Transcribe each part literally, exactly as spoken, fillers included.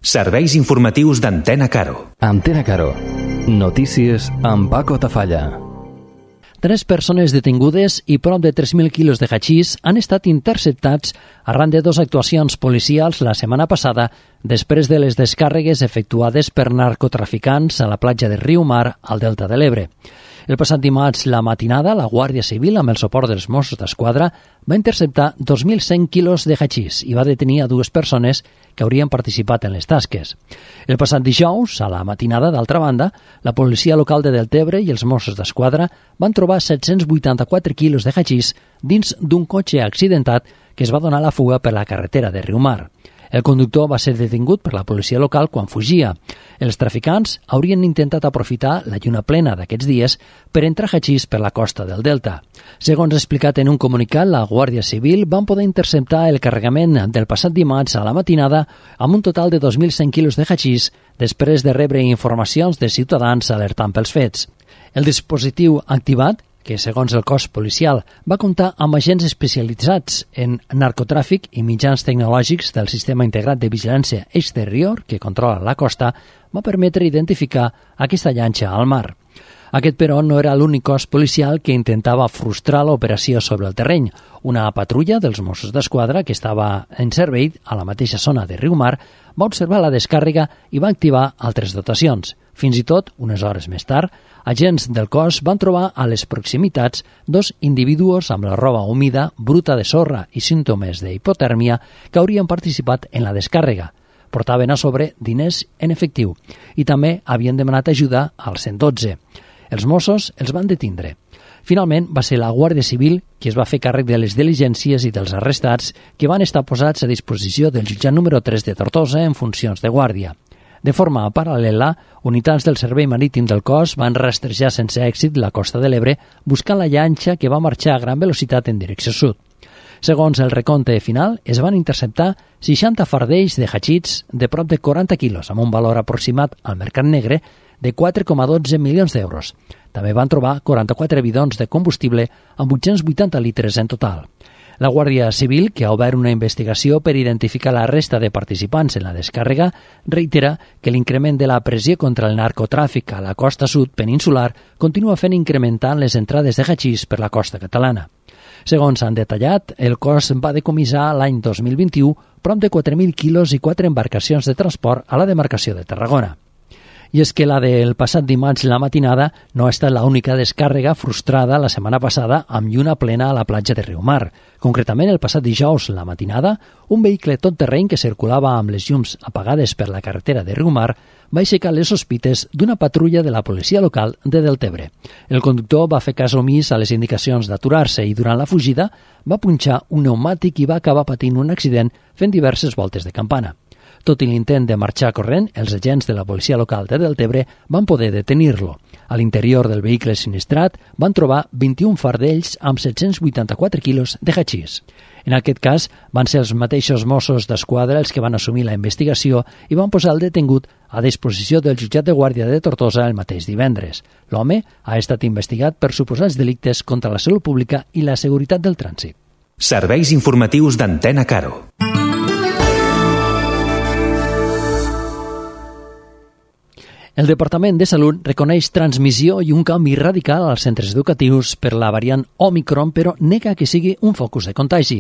Serveis informatius d'Antena Caro. Antena Caro. Notícies amb Paco Tafalla. Tres persones detingudes i prop de tres mil quilos de hachís han estat interceptats arran de dues actuacions policials la setmana passada després de les descàrregues efectuades per narcotraficants a la platja de Riumar, al Delta de l'Ebre. El passat dimarts, la matinada, la Guàrdia Civil, amb el suport dels Mossos d'Esquadra, va interceptar dos mil cent quilos de hachís i va detenir a dues persones que haurien participat en les tasques. El passat dijous, a la matinada, d'altra banda, la policia local de Deltebre i els Mossos d'Esquadra van trobar set-cents vuitanta-quatre quilos de hachís dins d'un cotxe accidentat que es va donar la fuga per la carretera de Riumar. El conductor va ser detingut per la policia local quan fugia. Els traficants haurien intentat aprofitar la lluna plena d'aquests dies per entrar hachís per la costa del Delta. Segons explicat en un comunicat, la Guàrdia Civil van poder interceptar el carregament del passat dimarts a la matinada amb un total de dos mil cent quilos de hachís després de rebre informacions de ciutadans alertant pels fets. El dispositiu activat, que segons el cos policial va comptar amb agents especialitzats en narcotràfic i mitjans tecnològics del Sistema Integrat de Vigilància Exterior que controla la costa, va permetre identificar aquesta llanxa al mar. Aquest, però, no era l'únic cos policial que intentava frustrar l'operació sobre el terreny. Una patrulla dels Mossos d'Esquadra, que estava en servei a la mateixa zona de Riumar, va observar la descàrrega i va activar altres dotacions. Fins i tot, unes hores més tard, agents del cos van trobar a les proximitats dos individus amb la roba humida, bruta de sorra i símptomes d'hipotèrmia que haurien participat en la descàrrega. Portaven a sobre diners en efectiu i també havien demanat ajuda al cent dotze. Els Mossos els van detindre. Finalment, va ser la Guàrdia Civil qui es va fer càrrec de les diligències i dels arrestats que van estar posats a disposició del jutjat número tres de Tortosa en funcions de guàrdia. De forma paral·lela, unitats del Servei Marítim del Cos van rastrejar sense èxit la costa de l'Ebre buscant la llanxa que va marxar a gran velocitat en direcció sud. Segons el recompte final, es van interceptar seixanta fardells de hachís de prop de quaranta quilos, amb un valor aproximat al mercat negre de quatre coma dotze milions d'euros. També van trobar quaranta-quatre bidons de combustible amb vuit-cents vuitanta litres en total. La Guàrdia Civil, que ha obert una investigació per identificar la resta de participants en la descàrrega, reitera que l'increment de la pressió contra el narcotràfic a la costa sud peninsular continua fent incrementant les entrades de hachís per la costa catalana. Segons han detallat, el cos va decomissar l'any dos mil vint-i-u prop de quatre mil quilos i quatre embarcacions de transport a la demarcació de Tarragona. I és que la del passat dimarts la matinada no ha estat l'única descàrrega frustrada la setmana passada amb lluna plena a la platja de Riumar. Concretament, el passat dijous, la matinada, un vehicle tot terreny que circulava amb les llums apagades per la carretera de Riumar va aixecar les sospites d'una patrulla de la policia local de Deltebre. El conductor va fer cas omís a les indicacions d'aturar-se i durant la fugida va punxar un pneumàtic i va acabar patint un accident fent diverses voltes de campana. Tot i l'intent de marxar corrent, els agents de la policia local de Deltebre van poder detenir-lo. A l'interior del vehicle sinistrat van trobar vint-i-un fardells amb set-cents vuitanta-quatre quilos de hachís. En aquest cas, van ser els mateixos Mossos d'Esquadra els que van assumir la investigació i van posar el detingut a disposició del jutjat de guàrdia de Tortosa el mateix divendres. L'home ha estat investigat per suposats delictes contra la salut pública i la seguretat del trànsit. Serveis informatius d'Antena Caro. El Departament de Salut reconeix transmissió i un canvi radical als centres educatius per la variant Omicron, però nega que sigui un focus de contagi.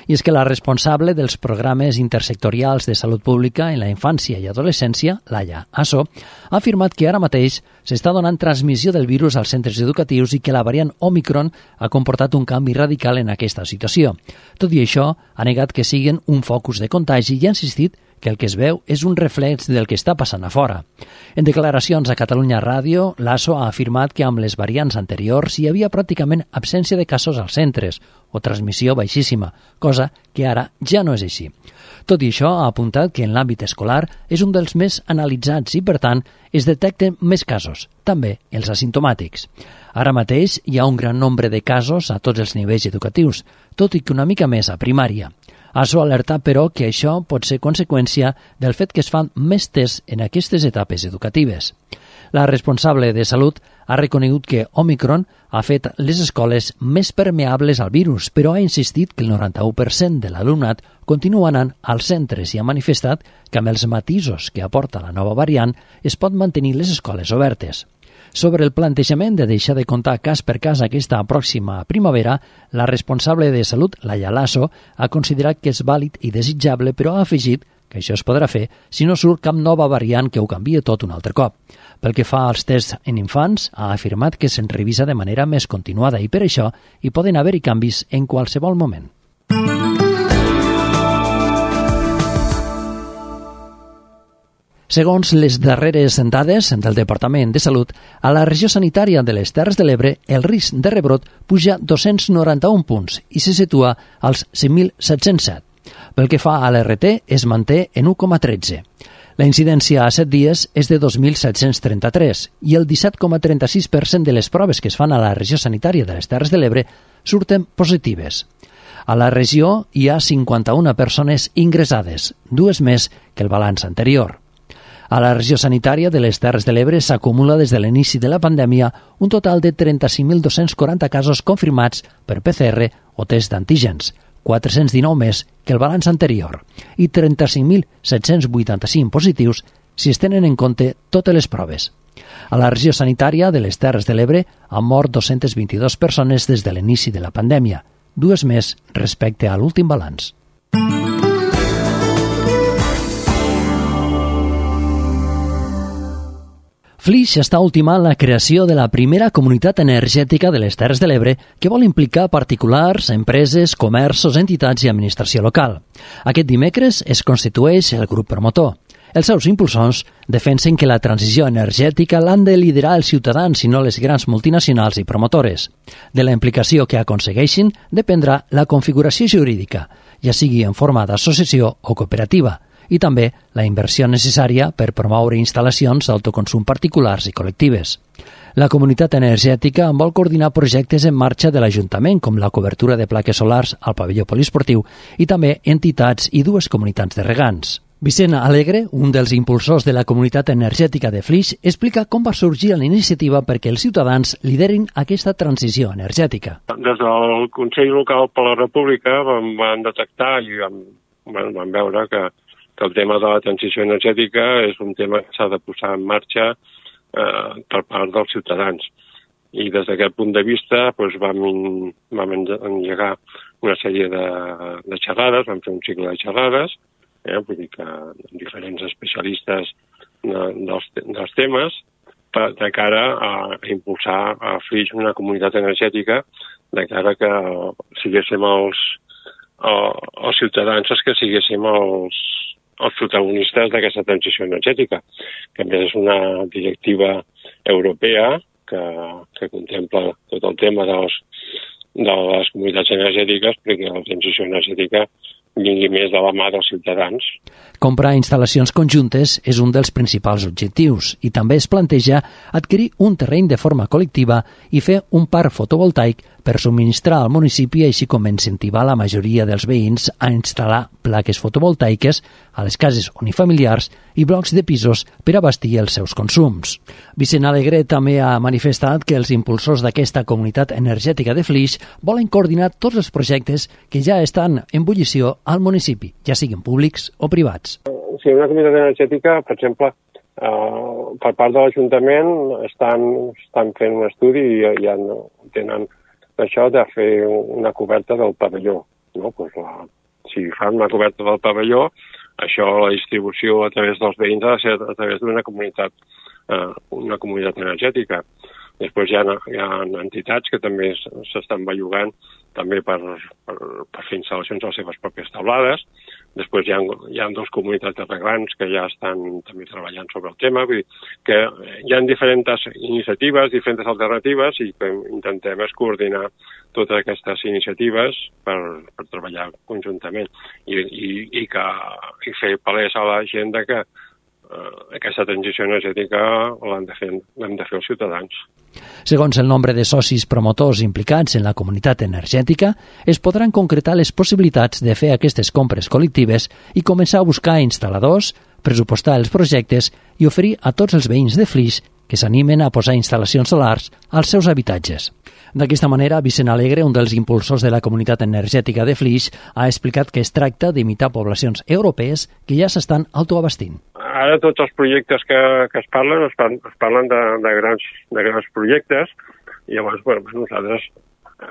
I és que la responsable dels programes intersectorials de salut pública en la infància i adolescència, Laia Asso, ha afirmat que ara mateix s'està donant transmissió del virus als centres educatius i que la variant Omicron ha comportat un canvi radical en aquesta situació. Tot i això, ha negat que siguin un focus de contagi i ha insistit que el que es veu és un reflex del que està passant a fora. En declaracions a Catalunya Ràdio, l'Asso ha afirmat que amb les variants anteriors hi havia pràcticament absència de casos als centres o transmissió baixíssima, cosa que ara ja no és així. Tot i això, ha apuntat que en l'àmbit escolar és un dels més analitzats i, per tant, es detecten més casos, també els asimptomàtics. Ara mateix hi ha un gran nombre de casos a tots els nivells educatius, tot i que una mica més a primària. Asso ha alertat, però, que això pot ser conseqüència del fet que es fan més tests en aquestes etapes educatives. La responsable de Salut ha reconegut que Omicron ha fet les escoles més permeables al virus, però ha insistit que el noranta-u per cent de l'alumnat continua anant als centres i ha manifestat que amb els matisos que aporta la nova variant es pot mantenir les escoles obertes. Sobre el plantejament de deixar de comptar cas per cas aquesta pròxima primavera, la responsable de Salut, Laia Lasso, ha considerat que és vàlid i desitjable, però ha afegit que això es podrà fer si no surt cap nova variant que ho canvia tot un altre cop. Pel que fa als tests en infants, ha afirmat que se'n revisa de manera més continuada i per això hi poden haver-hi canvis en qualsevol moment. Segons les darreres dades del Departament de Salut, a la regió sanitària de les Terres de l'Ebre el risc de rebrot puja dos-cents noranta-un punts i se situa als cinc mil set-cents set. Pel que fa a l'R T, es manté en u coma tretze. La incidència a set dies és de dos mil set-cents trenta-tres i el disset coma trenta-sis per cent de les proves que es fan a la regió sanitària de les Terres de l'Ebre surten positives. A la regió hi ha cinquanta-una persones ingressades, dues més que el balanç anterior. A la regió sanitària de les Terres de l'Ebre s'acumula des de l'inici de la pandèmia un total de trenta-cinc mil dos-cents quaranta casos confirmats per P C R o test d'antígens, quatre-cents dinou més que el balanç anterior, i trenta-cinc mil set-cents vuitanta-cinc positius si es tenen en compte totes les proves. A la regió sanitària de les Terres de l'Ebre han mort dos-centes vint-i-dues persones des de l'inici de la pandèmia, dues més respecte a l'últim balanç. Flix està ultimant la creació de la primera comunitat energètica de les Terres de l'Ebre que vol implicar particulars, empreses, comerços, entitats i administració local. Aquest dimecres es constitueix el grup promotor. Els seus impulsors defensen que la transició energètica l'han de liderar els ciutadans i no les grans multinacionals i promotores. De la implicació que aconsegueixin dependrà la configuració jurídica, ja sigui en forma d'associació o cooperativa, i també la inversió necessària per promoure instal·lacions d'autoconsum particulars i col·lectives. La comunitat energètica vol coordinar projectes en marxa de l'Ajuntament, com la cobertura de plaques solars al pavelló poliesportiu, i també entitats i dues comunitats de regants. Vicent Alegre, un dels impulsors de la comunitat energètica de Flix, explica com va sorgir la iniciativa perquè els ciutadans liderin aquesta transició energètica. Des del Consell Local per la República vam, vam detectar i vam, vam veure que que el tema de la transició energètica és un tema que s'ha de posar en marxa eh, per part dels ciutadans. I des d'aquest punt de vista doncs, vam, vam engegar una sèrie de, de xerrades, vam fer un cicle de xerrades, eh, vull dir que diferents especialistes de, dels, dels temes, per, de cara a, a impulsar a Flix una comunitat energètica, de cara que siguéssim els, els ciutadans els que siguéssim els els protagonistes d'aquesta transició energètica, que a més és una directiva europea que, que contempla tot el tema dels, de les comunitats energètiques perquè la transició energètica vingui més de la mà dels ciutadans. Comprar instal·lacions conjuntes és un dels principals objectius i també es planteja adquirir un terreny de forma col·lectiva i fer un parc fotovoltaic per subministrar al municipi, així com incentivar la majoria dels veïns a instal·lar plaques fotovoltaiques a les cases unifamiliars i blocs de pisos per abastir els seus consums. Vicent Alegre també ha manifestat que els impulsors d'aquesta comunitat energètica de Flix volen coordinar tots els projectes que ja estan en bullició al municipi, ja siguin públics o privats. Sí, una comunitat energètica, per exemple, eh, per part de l'Ajuntament estan, estan fent un estudi i ja tenen això de fer una coberta del pavelló. No? Pues la, si fan una coberta del pavelló, això, la distribució a través dels veïns ha de ser a través d'una comunitat, eh, una comunitat energètica. Després hi ha, hi ha entitats que també s'estan bellugant també per, per, per fer instal·lacions a les seves pròpies taulades. Després hi ha, hi ha dues comunitats de regants que ja estan també treballant sobre el tema. Vull dir que hi ha diferents iniciatives, diferents alternatives i que intentem és coordinar totes aquestes iniciatives per, per treballar conjuntament i, i, i, que, i fer palès a la gent que eh, aquesta transició energètica l'hem de fer, l'hem de fer els ciutadans. Segons el nombre de socis promotors implicats en la comunitat energètica, es podran concretar les possibilitats de fer aquestes compres col·lectives i començar a buscar instal·ladors, pressupostar els projectes i oferir a tots els veïns de Flix que s'animen a posar instal·lacions solars als seus habitatges. D'aquesta manera, Vicent Alegre, un dels impulsors de la comunitat energètica de Flix, ha explicat que es tracta d'imitar poblacions europees que ja s'estan autoabastint. Ara tots els projectes que, que es parlen es, parlen, es parlen de, de, grans, de grans projectes i llavors bueno, nosaltres eh,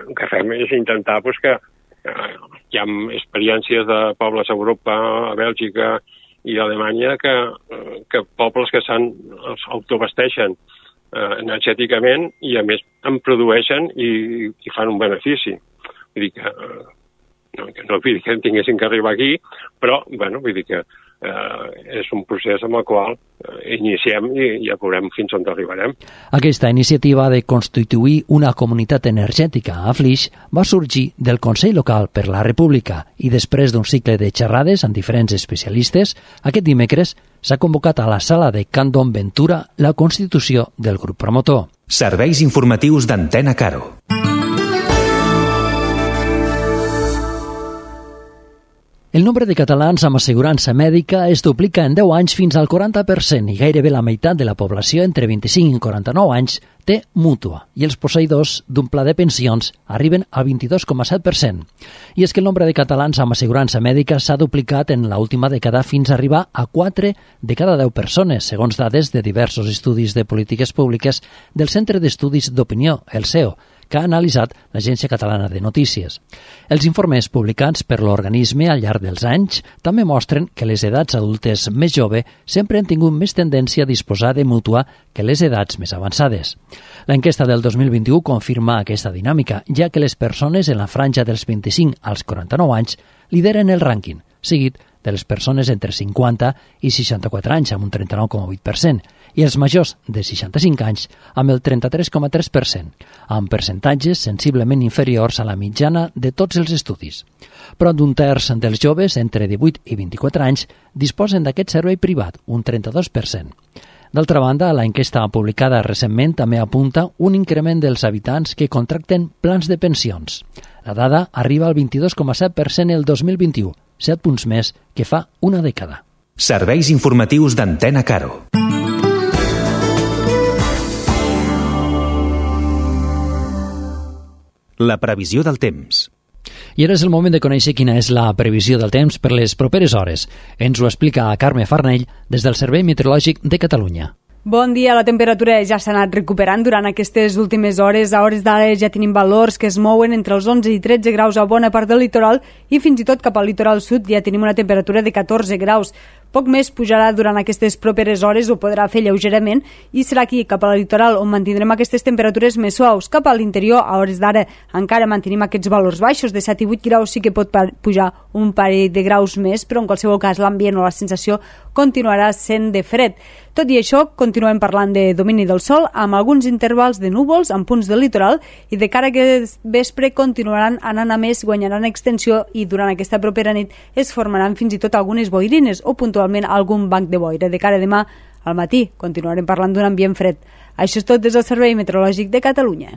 el que fem és intentar pues, que eh, hi ha experiències de pobles a Europa, a Bèlgica i a Alemanya que, que pobles que s'han autoabasteixen eh, energèticament i a més en produeixen i, i fan un benefici. Vull dir que eh, no, que no vull dir que tinguessin que arribar aquí, però bueno, vull dir que eh, és un procés amb el qual eh, iniciem i ja veurem fins on arribarem. Aquesta iniciativa de constituir una comunitat energètica a Flix va sorgir del Consell Local per la República i després d'un cicle de xerrades amb diferents especialistes, aquest dimecres s'ha convocat a la sala de Can Don Ventura la constitució del grup promotor. Serveis informatius d'Antena Caro. El nombre de catalans amb assegurança mèdica es duplica en deu anys fins al quaranta per cent i gairebé la meitat de la població entre vint-i-cinc i quaranta-nou anys té mútua i els posseïdors d'un pla de pensions arriben al vint-i-dos coma set per cent. I és que el nombre de catalans amb assegurança mèdica s'ha duplicat en l'última dècada fins a arribar a quatre de cada deu persones, segons dades de diversos estudis de polítiques públiques del Centre d'Estudis d'Opinió, el C E O, que ha analitzat l'Agència Catalana de Notícies. Els informes publicats per l'organisme al llarg dels anys també mostren que les edats adultes més joves sempre han tingut més tendència a disposar de mútua que les edats més avançades. L'enquesta del dos mil vint-i-u confirma aquesta dinàmica, ja que les persones en la franja dels vint-i-cinc als quaranta-nou anys lideren el rànquing, seguit de les persones entre cinquanta i seixanta-quatre anys amb un trenta-nou coma vuit per cent i els majors de seixanta-cinc anys amb el trenta-tres coma tres per cent, amb percentatges sensiblement inferiors a la mitjana de tots els estudis. Prop d'un terç dels joves entre divuit i vint-i-quatre anys disposen d'aquest servei privat, un trenta-dos per cent. D'altra banda, la enquesta publicada recentment també apunta un increment dels habitants que contracten plans de pensions. La dada arriba al vint-i-dos coma set per cent el dos mil vint-i-u, set punts més que fa una dècada. Serveis informatius d'Antena Caro. La previsió del temps. I ara és el moment de conèixer quina és la previsió del temps per les properes hores. Ens ho explica Carme Farnell des del Servei Meteorològic de Catalunya. Bon dia, la temperatura ja s'ha anat recuperant durant aquestes últimes hores. A hores d'ara ja tenim valors que es mouen entre els onze i tretze graus a bona part del litoral i fins i tot cap al litoral sud ja tenim una temperatura de catorze graus. Poc més pujarà durant aquestes properes hores, ho podrà fer lleugerament, i serà aquí, cap al litoral, on mantindrem aquestes temperatures més suaus. Cap a l'interior, a hores d'ara, encara mantenim aquests valors baixos, de set i vuit graus, sí que pot pujar un parell de graus més, però en qualsevol cas l'ambient o la sensació continuarà sent de fred. Tot i això, continuem parlant de domini del sol, amb alguns intervals de núvols en punts del litoral, i de cara a aquest vespre continuaran anant a més, guanyaran extensió, i durant aquesta propera nit es formaran fins i tot algunes boirines, o puntualment algun banc de boira. De cara a demà al matí continuarem parlant d'un ambient fred. Això és tot des del Servei Meteorològic de Catalunya.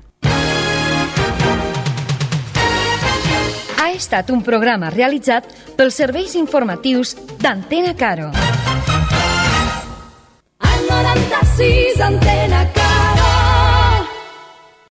Ha estat un programa realitzat pels serveis informatius d'Antena Caro. Al noranta-sis Antena Caro.